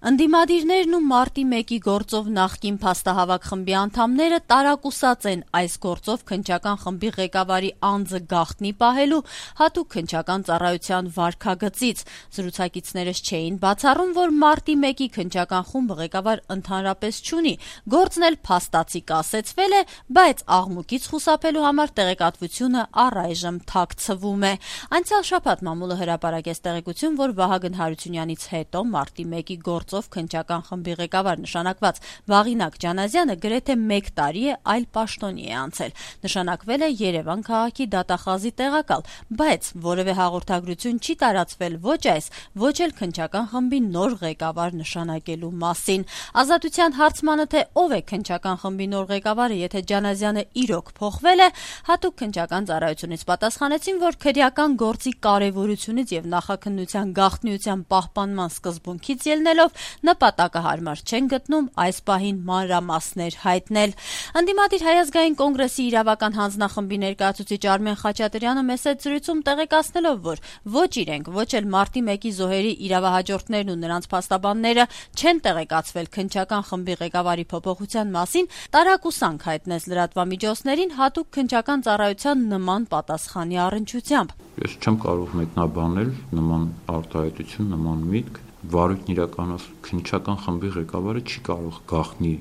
Ընդդիմադիրներն ու մարտի 1-ի գործով նախկին փաստահավաք խմբի անդամները տարակուսած են այս գործով քննչական խմբի ղեկավարի անձը գաղտնի պահելու հատուկ քննչական ծառայության վարքագծից։ Զրուցակիցներս չէին բացառում, որ մարտի 1-ի քննչական խումբը ղեկավար ընդհանրապես չունի, գործն էլ փաստացի կասեցվել է, բայց աղմուկից խուսափելու համար տեղեկատվությունը առայժմ թաքցվում է։ Անցյալ շաբաթ մամուլը հրապարակեց տեղեկություն, որ Վահագն Հարությունյանից հետո մարտի 1-ի գործով քննչական խմբի ղեկավար նշանակված Վաղինակ Ջանազյանը գրեթե 1 տարի է այլ պաշտոնի է անցել։ Նշանակվել է Երևան քաղաքի դատախազի տեղակալ, բայց որևէ հաղորդագրություն չի տարածվել ոչ այս, ոչ էլ քննչական խմբի նոր ղեկավար նշանակելու մասին։ Ազատության հարցմանը, թե ով է քննչական խմբի նոր ղեկավարը, եթե Ջանազյանը իրոք փոխվել է, հատուկ քննչական ծառայությունից պատասխանեցին, որ քրեական գործի կարևորությունից եւ նախաքննության գաղտնիության պահպանման սկզբունքից ելնելով նպատակահարմար չեն գտնում այս պահին մանրամասներ հայտնել։ Ընդդիմադիր Հայ ազգային կոնգրեսի իրավական հանձնախմբի ներկայացուցիչ Արմեն Խաչատրյանը մեծ զրույցում տեղեկացնելով, որ ոչ իրենք, ոչ էլ մարտի 1-ի զոհերի իրավահաջորդներն ու նրանց փաստաբանները չեն տեղեկացվել քննչական խմբի ղեկավարի փոփոխության մասին, տարակուսանք հայտնեց լրատվամիջոցներին հատուկ քննչական ծառայության նման պատասխանի առնչությամբ։ Ես չեմ կարող մեկնաբանել նման արտահայտություն, նման միտք։ Վարույթն իրականացնում քննչական խմբի ղեկավարը չի կարող գաղտնի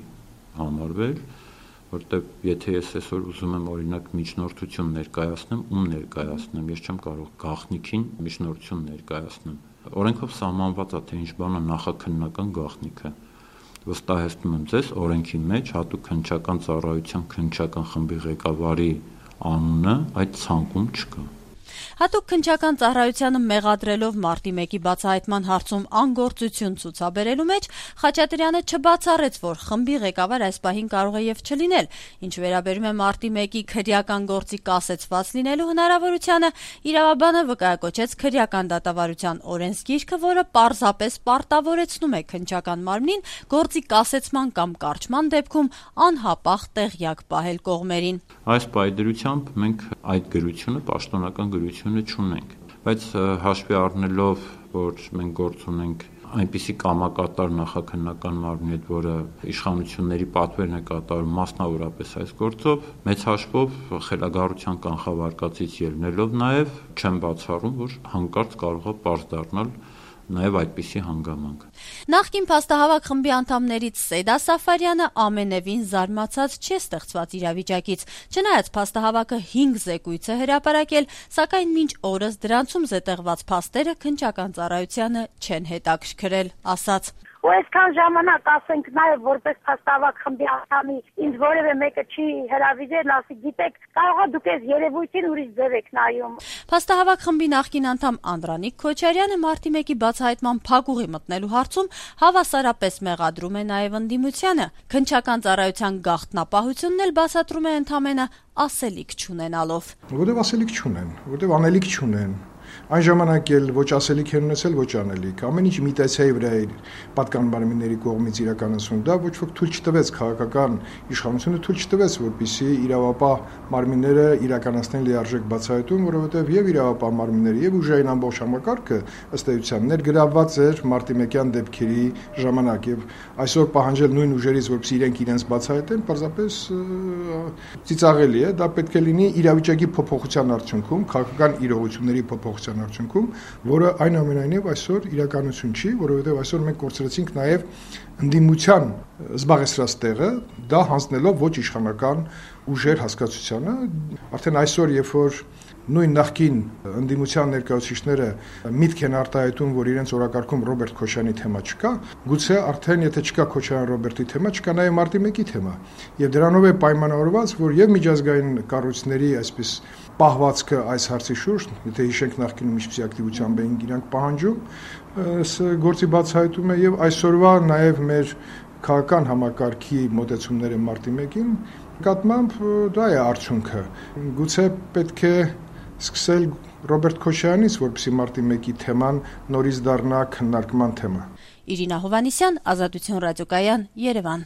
համարվել, որտեղ եթե ես այսօր ուզում եմ օրինակ միջնորդություն ներկայացնեմ, ում ներկայացնեմ, ես չեմ կարող գաղտնիքին միջնորդություն ներկայացնեմ։ Օրենքով սահմանված է, թե ինչ բան է նախաքննական գաղտնիքը։ Վստահեցնում եմ ձեզ, օրենքի մեջ հատուկ քննչական ծառայության քննչական խմբի ղեկավարի անունը այդ ցանկում չկա։ Հատուկ քննչական ծառայությանը մեղադրելով մարտի 1-ի բացահայտման հարցում անգործություն ցուցաբերելու մեջ Խաչատրյանը չբացառեց, որ խմբի ղեկավար այս պահին կարող է եւ չլինել։ Ինչ վերաբերում է մարտի 1-ի քրեական գործի կասեցված լինելու հնարավորությանը, իրավաբանը վկայակոչեց քրեական դատավարության օրենսգիրքը, որը պարզապես պարտավորեցնում է քննչական մարմնին գործի կասեցման կամ կարճման դեպքում անհապաղ տեղյակ պահել կողմերին։ Այս պայդրությամբ մենք այդ գրությունը, պաշտոնական գրությունը չունենք, բայց հաշվի առնելով, որ մենք գործ ունենք այնպիսի կամակատար նախաքննական մարմնի հետ, որը իշխանությունների պատվերն է կատարում մասնավորապես այս գործով, մեծ հաշվով խելագարության կանխավարկածից ելնելով նաև չեմ բացառում, որ հանկարծ կարող է պարզ դառնալ նաև այդպիսի հանգամանք։ Նախկին փաստահավաք խմբի անդամներից Սեյդա Սաֆարյանը ամենևին զարմացած չէ ստեղծված իրավիճակից։ Չնայած փաստահավաքը 5 զեկույց է հրապարակել, սակայն մինչ օրս դրանցում զետեղված փաստերը քննչական ծառայությանը չեն հետաքրքրել, ասաց. Ու այսքան ժամանակ ասենք նաև որպես փաստահավաք խմբի անդամի ինձ որևէ մեկը չի հրավիրել, ասի գիտեք, կարող է դուք այս երևույթին ուրիշ ձև եք նայում։ Փաստահավաք խմբի նախկին անդամ Անդրանիկ Քոչարյանը մարտի 1-ի բացահայտման փակուղի մտնելու հարցում հավասարապես մեղադրում է նաև ընդդիմությանը։ Քննչական ծառայության գաղտնապահությունն էլ բացատրում է ընդամենը ասելիք չունենալով։ Որտեվ ասելիք չունեն, որտեվ անելիք չունեն։ Այն ժամանակ էլ ոչ ասելիք են ունեցել, ոչ անելիք։ Ամեն ինչ իմիտացիայի վրա է պատկան մարմինների կողմից իրականացվում։ Դա ոչ ոք թույլ չտվեց, քաղաքական իշխանությունը թույլ չտվեց, որպեսզի իրավապահ մարմինները իրականացնեն լիարժեք բացահայտում, որովհետև եւ իրավապահ մարմինները եւ ուժային ամբողջ համակարգը ըստ էության ներգրավված էր մարտի 1-յան դեպքերի ժամանակ եւ այսօր պահանջել նույն ուժերից, որպեսզի իրենք իրենց բացահայտեն, պարզապես ծիծաղելի է։ Դա պետք է լինի իրավիճակի փոփոխության արդյունքում, քաղաքական իրողությունների փոփոխության արդյունքում, որը այնուամենայնիվ այսօր իրականություն չի, որովհետև այսօր մենք կորցրեցինք նաև ընդդիմության զբաղեցրած տեղը, դա հանձնելով ոչ իշխանական ուժեր հասկացությանը, արդեն այսօր, երբ որ նույն նախկին ընդդիմության ներկայացուցիչները միտք են արտահայտում, որ իրենց օրակարգում Ռոբերտ Քոչարյանի թեմա չկա, գուցե արդեն եթե չկա Քոչարյան Ռոբերտի թեմա, չկա նաև մարտի 1-ի թեմա։ Եվ դրանով է պայմանավորված, որ եւ միջազգային կառույցների այսպես պահվածքը այս հարցի շուրջ, եթե հիշենք նախկինում ինչպիսի ակտիվությամբ էին իրանք պահանջում, գործի բացահայտումը եւ այսօրվա նաեւ մեր քաղաքական համակարգի մոտեցումները մարտի 1-ին նկատմամբ դա է արդյունքը։ Գուցե պետք է սկսել Ռոբերտ Քոչարյանից, որպեսզի մարտի 1-ի թեման նորից դառնա քննարկման թեմա։ Իրինա Հովհաննիսյան, Ազատություն ռադիոկայան, Երևան։